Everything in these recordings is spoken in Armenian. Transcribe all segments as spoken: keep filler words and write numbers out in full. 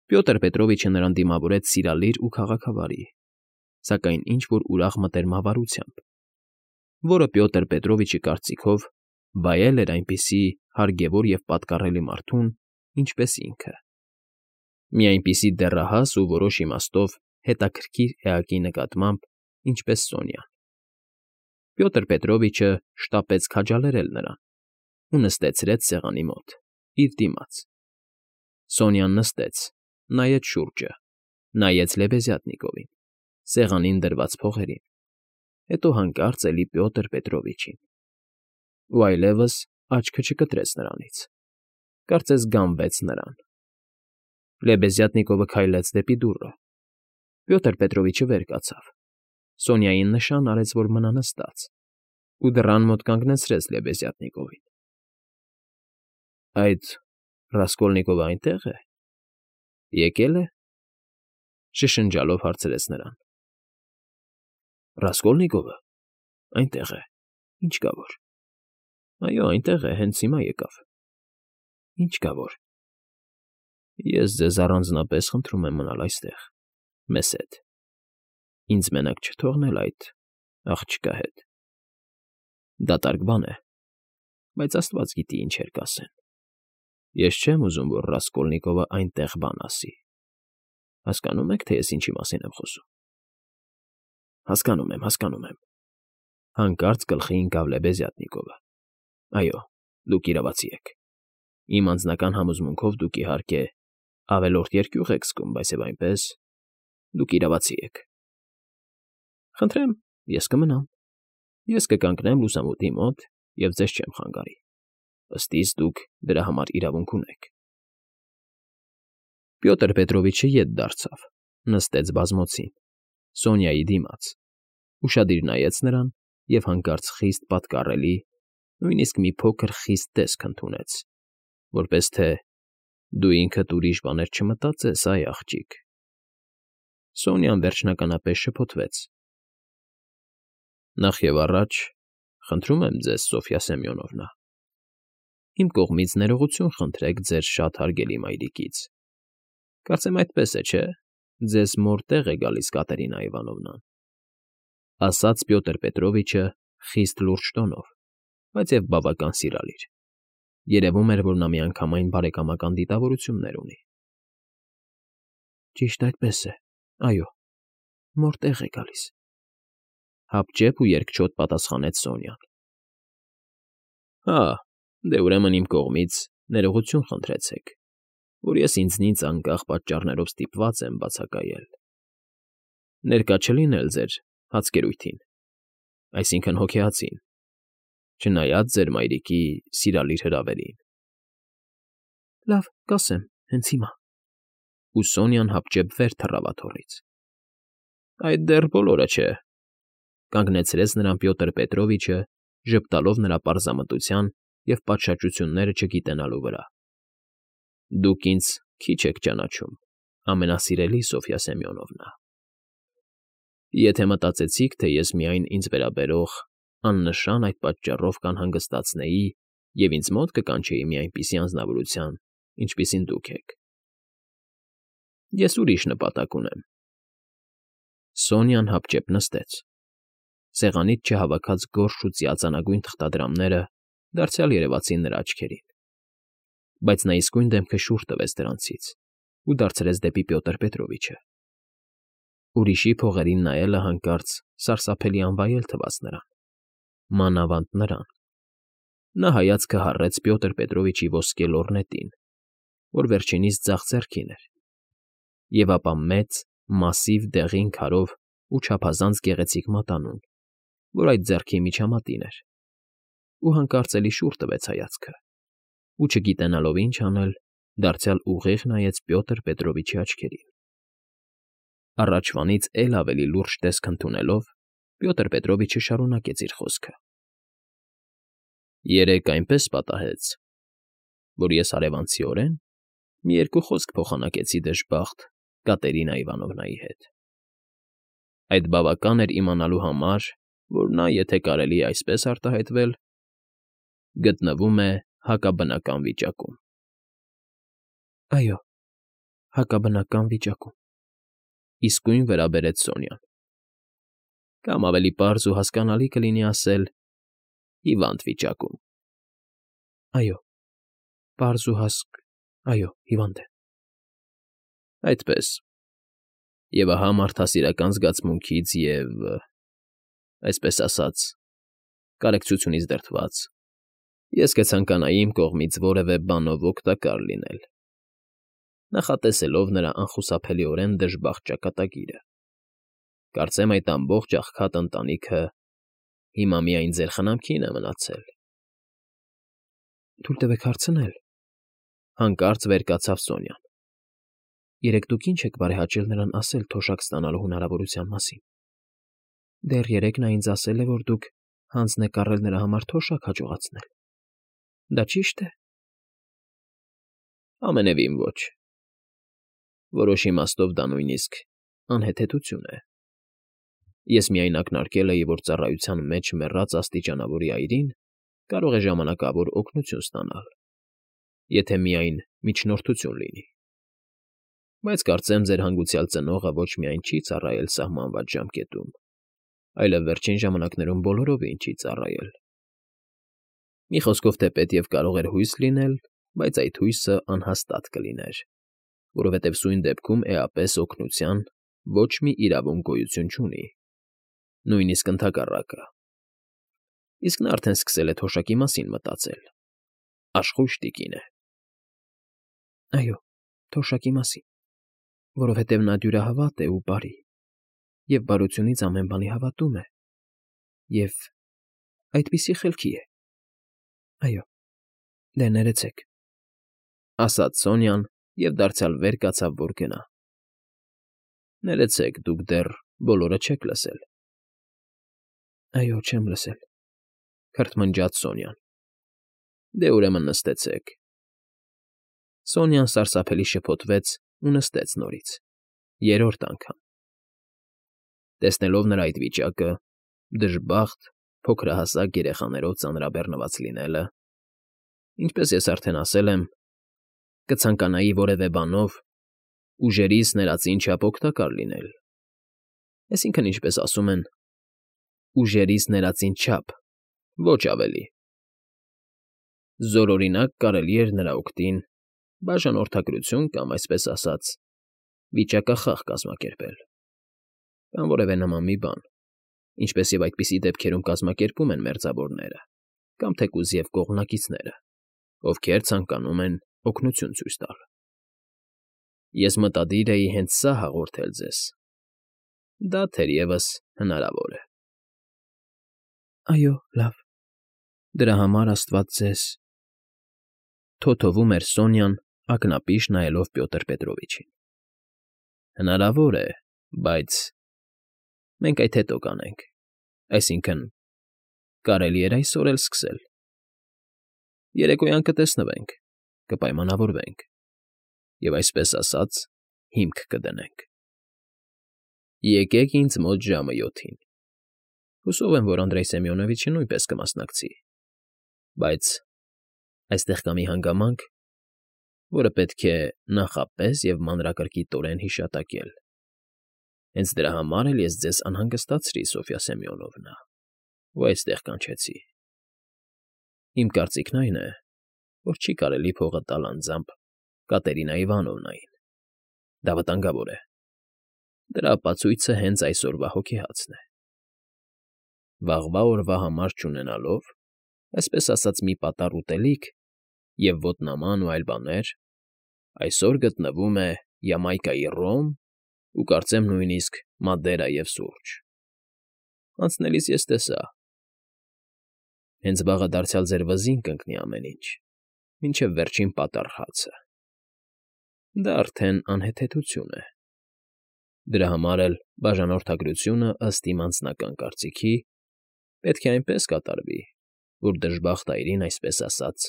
Պյոտր Պետրովիչը նրան դիմավորեց սիրալիր ու քաղաքավարի, սակայն ինչ֊որ ուրախ մտերմավարությամբ, որը Պյոտր Պետրովիչի կարծիքով վայել էր այնպիսի հարգևոր և պատկառելի մարդուն, ինչպես ինքը, մի այնպիսի դեռահաս ու որոշ իմաստով հետաքրքիր էակի նկատմամբ, ինչպես Սոնյան։ Պյոտր Պետրովիչը շտապեց քաջալերել նրան ու նստեցրեց սեղանի մոտ, իր դիմաց։ Սոնյան նստեց, նայեց շուրջը, նայեց Լեբեզյատնիկովին, սեղանին դրված փողերին, հետո հանկարծ էլի Պյոտր Պետրովիչին, ու այլևս աչքը չկտրեց նրանից, կարծես գանվեց նրան։ Լեբեզյատնիկովը քայլեց դեպի դուռը։ Պյոտր Պետրովիչը վեր կացավ, Սոնյային նշան արեց, որ մնա նստած, ու դռան մոտ կանգնեցրեց Լեբեզյատնիկովին։ ֊ Այդ Ռասկոլնիկովը այնտե՞ղ է, եկե՞լ է,֊ շշնջալով հարցրեց նրան։ ֊ Ռասկոլնիկովը… այնտեղ է, ինչ կա որ… Այո, այնտեղ է, հենց հիմա եկավ… Ինչ կա որ… Ես ձեզ առանձնապես խնդրում եմ մնալ այստեղ, մեզ հետ, ինձ մենակ չթողնել այդ աղջկա հետ… Դատարկ բան է, բայց աստված գիտի ինչեր կասեն… Ես չեմ ուզում, որ Ռասկոլնիկովը այնտեղ բան ասի… Հասկանո՞ւմ եք, թե ես ինչի մասին եմ խոսում… ֊ Հասկանում եմ, հասկանում եմ,֊ հանկարծ գլխի ընկավ Լեբեզյատնիկովը։ Այո, դուք իրավացի եք… Իմ անձնական համոզմունքով դուք, իհարկե, ավելորդ երկյուղ եք զգում, բայց և այնպես… Դուք իրավացի եք… Խնդրեմ, ես կմնամ… Ես կկանգնեմ լուսամուտի մոտ և ձեզ չեմ խանգարի… Ըստ իս, դուք դրա համար իրավունք ունեք… Պյոտր Պետրովիչը ետ դարձավ, նստեց բազմոցին, Սոնյայի դիմաց, ուշադիր նայեց նրան և հանկարծ խիստ պատկառելի, նույնիսկ մի փոքր խիստ տեսք ընդունեց, որպես թե «Դու ինքդ ուրիշ բաներ չմտածես, այ աղջիկ…»։ Սոնյան վերջնականապես շփոթվեց. ֊ Նախ և առաջ, խնդրում եմ ձեզ, Սոֆյա Սեմյոնովնա, իմ կողմից ներողություն խնդրեք ձեր շատ հարգելի մայրիկից… Կարծեմ այդպես է, չէ՞, ձեզ մոր տեղ է գալիս Կատերինա Իվանովնան,֊ ասաց Պյոտր Պետրովիչը խիստ լուրջ տոնով, բայց և բավական սիրալիր. երևում էր, որ նա միանգամայն բարեկամական դիտավորություններ ունի։ ֊ Ճիշտ այդպես է, այո, մոր տեղ է գալիս,֊ հապճեպ ու երկչոտ պատասխանեց Սոնյան։ ֊ Հա, դե ուրեմն իմ կողմից ներողություն խնդրեցեք, որ ես ինձնից անկախ պատճառներով ստիպված եմ բացակայել… Ներկա չլինել ձեր հացկերույթին, այսինքն՝ հոգեհացին, չնայած ձեր մայրիկի սիրալիր հրավերին… ֊ Լավ, կասեմ, հենց հիմա…֊ ու Սոնյան հապճեպ վեր թռավ աթոռից։ ֊ Այդ դեռ բոլորը չէ,֊ կանգնեցրեց նրան Պյոտր Պետրովիչը, ժպտալով նրա պարզամտության և պատշաճությունները չգիտենալու վրա։ ֊ Դուք ինձ քիչ եք ճանաչում, ամենասիրելի Սոֆյա Սեմյոնովնա… Եթե մտածեցիք, թե ես միայն ինձ վերաբերող աննշան այդ պատճառով կանհանգստացնեի և ինձ մոտ կկանչեի մի այնպիսի անձնավորության, ինչպիսին դուք եք… Ես ուրիշ նպատակ ունեմ… Սոնյան հապճեպ նստեց, սեղանից չհավաքած գորշ ու ծիածանագույն թղթադրամները դարձյալ երևացին նրա աչքերին, բայց նա իսկույն դեմքը շուռ տվեց դրանցից ու դարձրեց դեպի Պյոտր Պետրովիչը։ Ուրիշի փողերին նայելը հանկարծ սարսափելի անվայել թվաց նրան, մանավանդ նրան… Նա հայացքը հառեց Պյոտր Պետրովիչի ոսկե լոռնետին, որ վերջինիս ձախ ձեռքին էր, և ապա մեծ, մասիվ դեղին քարով ու չափազանց գեղեցիկ մատանուն, որ այդ ձեռքի միջամատին էր, ու հանկարծ էլի շուռ տվեց հայացքը ու, չգիտենալով ինչ անել, դարձյալ ուղիղ նայեց Պյոտր Պետրովիչի աչքերին։ Առաջվանից էլ ավելի լուրջ տեսք ընդունելով, Պյոտր Պետրովիչը շարունակեց իր խոսքը. ֊ Երեկ այնպես պատահեց, որ ես հարևանցիորեն մի երկու խոսք փոխանակեցի դժբախտ Կատերինա Իվանովնայի հետ… Այդ բավական էր իմանալու համար, որ նա, եթե կարելի է այսպես արտահայտվել, գտնվում է հակաբնական վիճակում։ ֊ Այո, հակաբնական վիճակում,֊ իսկույն վրա բերեց Սոնյան։ Կամ ավելի պարզ ու հասկանալի կլինի ասել՝ հիվանդ վիճակում։ Այո, պարզ ու հասկ, այո, հիվանդ է։ Այդպես։ Եվ ահա մարդասիրական զգացմունքից և, այսպես ասած, կարեկցությունից դրդված, ես կցանկանայի իմ կողմից որևէ բանով օգտակար լինել, նախատեսելով նրա անխուսափելիորեն դժբախտ ճակատագիրը։ Կարծեմ այդ ամբողջ աղքատ ընտանիքը հիմա միայն ձեր խնամքին է մնացել։ Թույլ տվեք հարցնել,֊ հանկարծ վեր կացավ Սոնյան։ Երեկ դուք ինչ եք բարեհաճել նրան ասել թոշակ ստանալու հնարավորության մասին։ Դեռ երեկ նա ինձ ասել է, որ դուք հանձն եք առել նրա համար թոշակ հաջողացնել։ Դա ճի՞շտ է։ Ամենևին ոչ։ Որոշ իմաստով դա նույնիսկ անհեթեթություն է։ Ես միայն ակնարկել էի, որ ծառայության մեջ մեռած աստիճանավորի այրին կարող է ժամանակավոր օգնություն ստանալ, եթե միայն միջնորդություն լինի։ Բայց կարծեմ ձեր հանգուցյալ ծնողը ոչ միայն չի ծառայել սահմանված ժամկետում, այլև վերջին ժամանակներում բոլորովին չի ծառայել։ Մի խոսքով թեպետև կարող էր հույս լինել, բայց այդ հույսը անհաստատ կլիներ, որովհետև սույն դեպքում էապես օգնության ոչ մի իրավունք գոյություն չունի, նույնիսկ ընդհակառակը։ Իսկ նա արդեն սկսել է թոշակի մասին մտածել։ Աշխույժ տիկին է։ Այո, թոշակի մասին, որովհետև նա դյուրահավատ է ու բարի, և բարությունից ամեն բանի հավատում է, և այդպիսի խելքի է։ Այո, դե ներեցեք,֊ ասաց Սոնյան և դարձյալ վեր կացավ, որ գնա։ Ներեցեք, դուք դեռ բոլորը չեք լսել։ Այո, չեմ լսել,֊ քրթմնջաց Սոնյան։ Դե ուրեմն նստեցեք։ Սոնյան սարսափելի շփոթվեց ու նստեց նորից, երրորդ անգամ։ Տեսնելով նրա այդ վիճակը, դժբախտ, փոքրահասակ երեխաներով ծանրաբեռնված լինելը, ինչպես ես արդեն ասել եմ, կցանկանայի որևէ բանով ուժերիս ներածին չափ օգտակար լինել։ Այսինքն, ինչպես ասում են, ուժերիս ներածին չափ, ոչ ավելի։ Զորօրինակ կարելի էր նրա օգտին բաժանորդագրություն կամ, այսպես ասած, վիճակախաղ կազմակերպել, կամ որևէ նման մի բան, ինչպես և այդպիսի դեպքերում կազմակերպում են մերձավորները կամ թեկուզ և կողմնակիցները, ովքեր ցանկանում են օգնություն ցույց տալ։ Ես մտադիր էի հենց սա հաղորդել ձեզ։ Դա թերևս հնարավոր է։ Այո, լավ, դրա համար աստված ձեզ… Թոթովում էր Սոնյան, ակնապիշ նայելով Պյոտր Պետրովիչին։ Հնարավոր է, բայց… Մենք այդ հետո կանենք, այսինքն՝ կարելի էր այսօր էլ սկսել։ Երեկոյան կտեսնվենք, կպայմանավորվենք և, այսպես ասած, հիմք կդնենք։ Եկեք ինձ մոտ ժամը յոթին։ Հուսով եմ, որ Անդրեյ Սեմյոնովիչը նույնպես կմասնակցի, բայց այստեղ կա մի հանգամանք, որը պետք է նախապես և մանրակրկիտորեն հիշատակել։ Հենց դրա համար էլ ես ձեզ անհանգստացրի, Սոֆյա Սեմյոնովնա, ու այստեղ կանչեցի։ Իմ կարծիքն այն է, որ չի կարելի փողը տալ անձամբ Կատերինա Իվանովնային։ Դա վտանգավոր է։ Դրա ապացույցը հենց այսօրվա հոգեհացն է։ Վաղվա օրվա համար չունենալով, այսպես ասած, մի պատառ ուտելիք և ոտնաման ու այլ բաներ, այսօր գտնվում է Յամայկայի ռոմ ու կարծեմ նույնիսկ Մադերա և սուրճ։ Անցնելիս ես տեսա։ Հենց վաղը դարձյալ ձեր վզին կընկնի ամեն ինչ, մինչև վերջին պատառ հացը։ Դա արդեն անհեթեթություն է։ Դրա համար էլ բաժանորդագրությունը, ըստ իմ անձնական կարծիքի, պետք է այնպես կատարվի, որ դժբախտ այրին, այսպես ասած,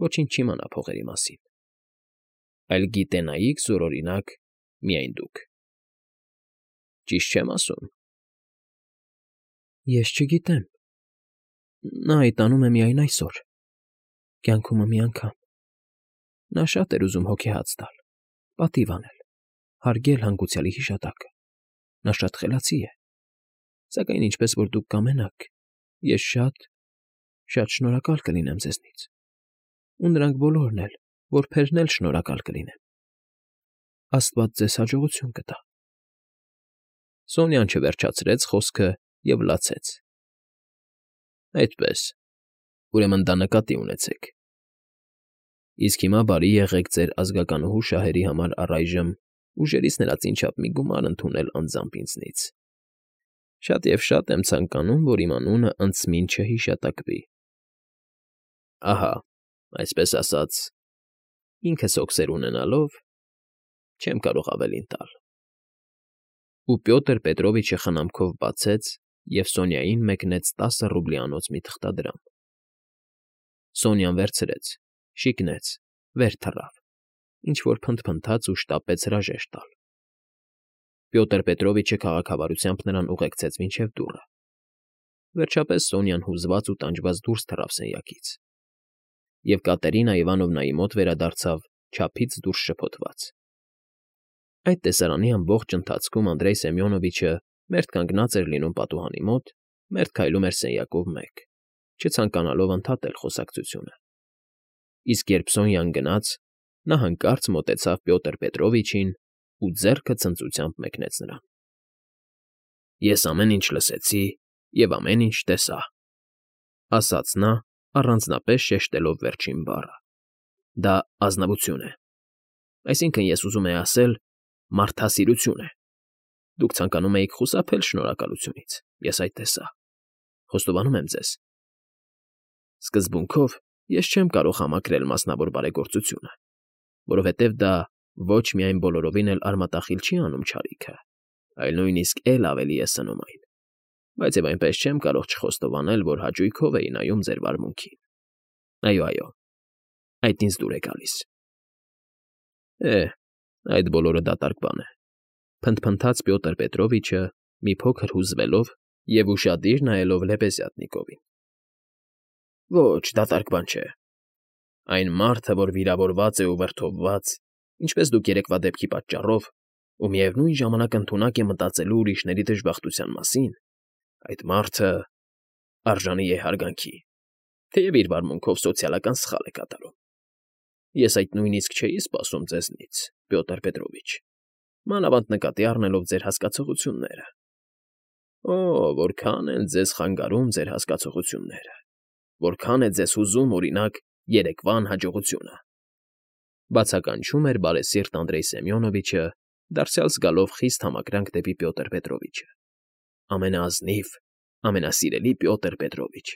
ոչինչ չիմանա փողերի մասին, այլ գիտենայիք զորօրինակ միայն դուք։ Ճիշտ չեմ ասում։ Ես չգիտեմ։ Նա այդ անում է միայն այսօր, կյանքումը մի անգամ։ Նա շատ էր ուզում հոգեհաց տալ, պատիվ անել, հարգել հանգուցյալի հիշատակը։ Նա շատ խելացի է, սակայն ինչպես որ դուք կամենաք, ես շատ, շատ շնորհակալ կլինեմ ձեզնից, ու նրանք բոլորն էլ, որբերն էլ շնորհակալ կլինեն։ Աստված ձեզ հաջողություն կտա։ Սոնյան չվերջացրեց խոսքը և լացեց։ Այդպես, ուրեմն դա նկատի ունեցեք։ Իսկ հիմա բարի եղեք ձեր ազգականուհու շահերի համար առայժմ ուժերից նրա ծինչափ մի գումար ընդունել անձամբ ինձնից։ Շատ և շատ եմ ցանկանում, որ իմ անունը անցմին չհիշատակվի։ Ահա, այսպես ասած, ինքս հոգսեր ունենալով չեմ կարող ավելին տալ։ Ու Պյոտր Պետրովիչը խնամքով բացեց և Սոնյային մեկնեց տասը ռուբլիանոց մի թղթադրամ։ Սոնյան վերցրեց, շիկնեց, վեր թռավ, ինչ֊որ փնթփնթաց ու շտապեց հրաժեշտ տալ։ Պյոտր Պետրովիչը քաղաքավարությամբ նրան ուղեկցեց մինչև դուռը։ Վերջապես Սոնյան հուզված ու տանջված դուրս թռավ սենյակից, և Կատերինա Իվանովնայի մոտ վերադարձավ չափից դուրս շփոթված։ Այդ տեսարանի ամբողջ ընթացքում Անդրեյ Սեմյոնովիչը մերթ կանգնած էր լինում պատուհանի մոտ, մերթ քայլում էր սենյակով մեկ, չցանկանալով ընդհատել խոսակցությունը։ Իսկ երբ Սոնյան գնաց, նա հանկարծ մոտեցավ Պյոտր Պետրովիչին ու ձեռքը ցնծությամբ մեկնեց նրան։ Ես ամեն ինչ լսեցի և ամեն ինչ տեսա, ասաց նա, առանձնապես շեշտելով վերջին բառը։ Դա ազնվություն է։ Այսինքն, ես ուզում եմ ասել, մարդասիրություն է։ Դուք ցանկանում էիք խուսափել շնորհակալությունից, ես այդ տեսա։ Խոստովանում եմ ձեզ։ Սկզբունքով ես չեմ կարող համակրել մասնավոր բարեգործությունը, որովհետև դա ոչ միայն բոլորովին էլ արմատախիլ չի անում չարիքը, այլ նույնիսկ էլ ավելի է սնում այն։ Բայց և այնպես չեմ կարող չխոստովանել, որ հաճույքով էի նայում ձեր վարմունքին։ Այո, այո, այդ ինձ դուր է գալիս։ Է, այդ բոլորը դատարկ բան է, փնթփնթաց Պյոտր Պետրովիչը, մի փոքր հուզվելով և ուշադիր նայելով Լեպեզյատնիկովին։ Ոչ, դատարկ բան չէ։ Այն մարդը, որ վիրավորված է ու վրդովված, ինչպես դուք երեկվա դեպքի պատճառով, ու միևնույն ժամանակ ընդունակ է մտածելու ուրիշների դժբախտության մասին, այդ մարդը արժանի է հարգանքի, թեև իր վարմունքով սոցիալական սխալ է կատարում։ Ես այդ նույնիսկ չէի սպասում ձեզնից, Պյոտր Պետրովիչ, մանավանդ նկատի առնելով ձեր հասկացողությունները։ Օ, որքան են ձեզ խանգարում ձեր հասկացողությունները, որքան է ձեզ հուզում, օրինակ, երեկվա անհաջողությունը։ Բացականչում էր բարեսիրտ Անդրեյ Սեմյոնովիչը, դարձյալ զգալով խիստ համակրանք դեպի Պյոտր Պետրովիչը։ Ամենաազնիվ, ամենասիրելի Պյոտր Պետրովիչ,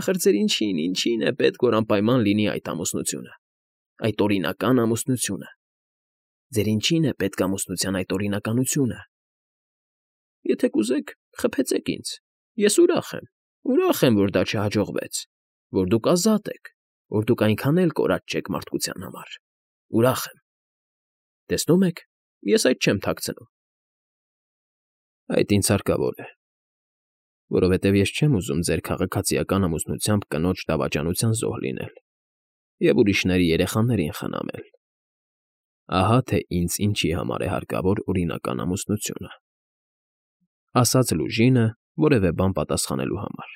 ախր ձեր ինչին, ինչին է պետք, որ անպայման լինի այդ ամուսնությունը, այդ օրինական ամուսնությունը։ Ձեր ինչին է պետք ամուսնության այդ օրինականությունը։ Եթե կուզեք, խփեցեք ինձ, ես ուրախ եմ, ուրախ եմ, որ դա չհաջողվեց, որ դուք ազատ եք, որ դուք այնքան էլ կորած չեք մարդկության համար։ Ուրախ եմ։ Տեսնում եք, ես այդ չեմ թաքցնում։ Այդ ինձ հարկավոր է, որովհետև ես չեմ ուզում ձեր քաղաքացիական ամուսնությամբ կնոջ դավաճանության զոհ լինել և ուրիշների երեխաներին խնամել։ Ահա թե ինձ ինչի համար է հարկավոր օրինական ամուսնությունը։ Ասաց Լուժինը որևէ բան պատասխանելու համար։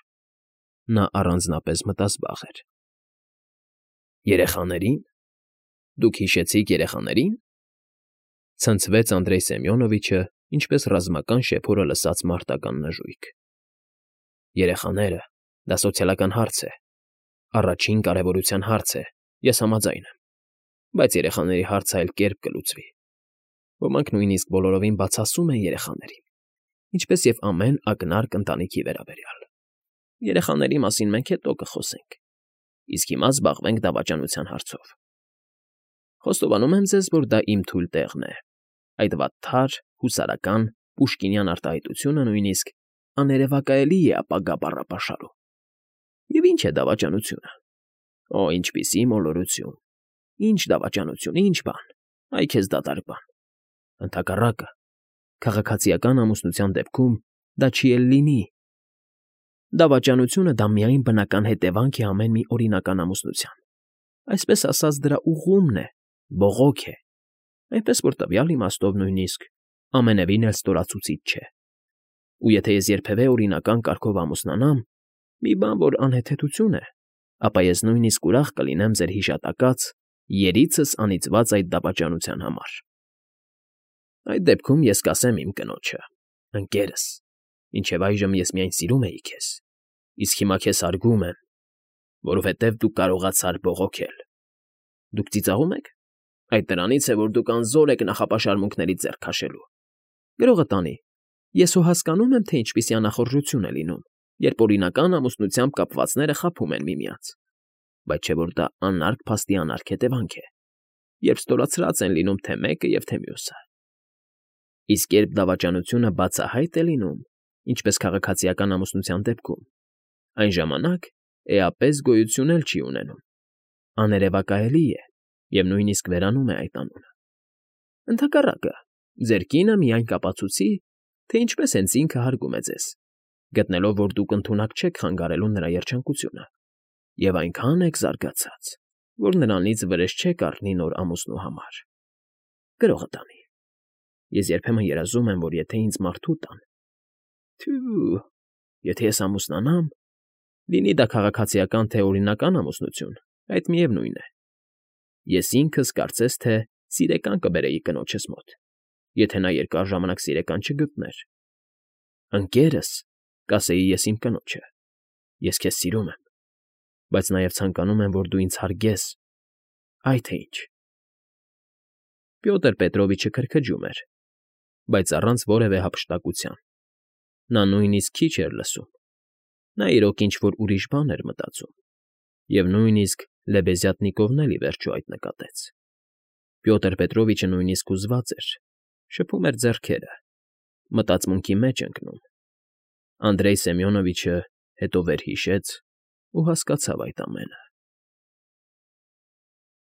Նա առանձնապես մտազբաղ էր։ Երեխաների՞ն։ Դուք հիշեցիք երեխաների՞ն։ Ցնցվեց Անդրեյ Սեմյոնովիչը, ինչպես ռազմական շեփորը լսած մարտական նժույգ։ Երեխաները, դա սոցիալական հարց է, առաջին կարևորության հարց է, ես համաձայն եմ, բայց երեխաների հարցը այլ կերպ կլուծվի։ Ոմանք նույնիսկ բոլորովին բացասում են երեխաներին, ինչպես և ամեն ակնարկ ընտանիքի վերաբերյալ։ Երեխաների մասին մենք հետո կխոսենք, իսկ հիմա զբաղվենք դավաճանության հարցով։ Խոստովանում եմ ձեզ, որ դա իմ թույլ տեղն է, այդ վատթար, հուսարական, պուշկինյան արտահայտությունը նույնիսկ աներևակայելի է ապագա բառապաշարում։ Եվ ի՞նչ է դավաճանությունը։ Օ, ինչպիսի մոլորություն, ի՜նչ դավաճանություն, ի՜նչ բան, այ քեզ դատարկ բան։ Ընդհակառակը, քաղաքացիական ամուսնության դեպքում դա չի էլ լինի։ Դավաճանությունը դա միայն բնական հետևանք է ամեն մի օրինական ամուսնության։ Այսպես ասած, դրա ուղումն է, բողոք է։ այնպես որ տվյալ իմաստով նույնիսկ ամենևին էլ ստորացուցիչ չէ։ Ու եթե ես երբևէ օրինական կարգով ամուսնանամ, մի բան, որ անհեթեթություն է, ապա ես նույնիսկ ուրախ կլինեմ ձեր հիշատակած, երիցս անիծված այդ դավաճանության համար։ Այդ դեպքում ես կասեմ իմ կնոջը. ընկերս, մինչև այժմ ես միայն սիրում էի քեզ, իսկ հիմա քեզ հարգում եմ, որովհետև դու կարողացար բողոքել։ Դուք ծիծաղո՞ւմ եք։ Այդ դրանից է, որ դուք անզոր եք նախապաշարմունքներից ձեռ քաշելու։ Գրողը տանի, ես հո հասկանում եմ, թե ինչպիսի անախորժություն է լինում, երբ օրինական ամուսնությամբ կապվածները խաբում են միմյանց, բայց չէ որ դա անարգ փաստի անարգ հետևանք է, երբ ստորացրած են լինում թե մեկը և թե մյուսը։ Իսկ երբ դավաճանությունը բացահայտ է լինում, ինչպես քաղաքացիական ամուսնության դեպքում, այն ժամանակ էապես գոյություն էլ չի ունենում, աներևակայելի է և նույնիսկ վերանում է այդ անունը։ Ընդհակառակը, ձեր կինը միայն կապացուցի, թե ինչպես հենց ինքը հարգում է ձեզ, գտնելով, որ դուք ընդունակ չեք խանգարելու նրա երջանկությունը, և այնքան եք զարգացած, որ նրանից վրեժ չեք առնի նոր ամուսնու համար։ Գրողը տանի. Ես երբեմն երազում եմ, որ եթե ինձ մարդու տան, թյու, եթե ես ամուսնանամ, լինի դա քաղաքացիական թե օրինական ամուսնություն, այդ միևնույն է։ Ես ինքս կարծես թե սիրեկան կբերեի կնոջս մոտ, եթե նա երկար ժամանակ սիրեկան չգտներ։ Ընկերս, կասեի ես իմ կնոջը, ես քեզ սիրում եմ, բայց նաև ցանկանում եմ, որ դու ինձ հարգես, այ թե ինչ։ Պյոտր Պետրովիչը քրքջում էր, բայց առանց որևէ հափշտակության։ Նա նույնիսկ քիչ էր լսում։ Նա իրոք ինչ֊որ ուրիշ բան էր մտածում, և նույնիսկ Լեբեզյատնիկովն էլ ի վերջո այդ նկատեց։ Պյոտր Պետրովիչը նույնիսկ հուզված էր, շփում էր ձեռքերը, մտածմունքի մեջ ընկնում։ Անդրեյ Սեմյոնովիչը հետո վերհիշեց ու հասկացավ այդ ամենը։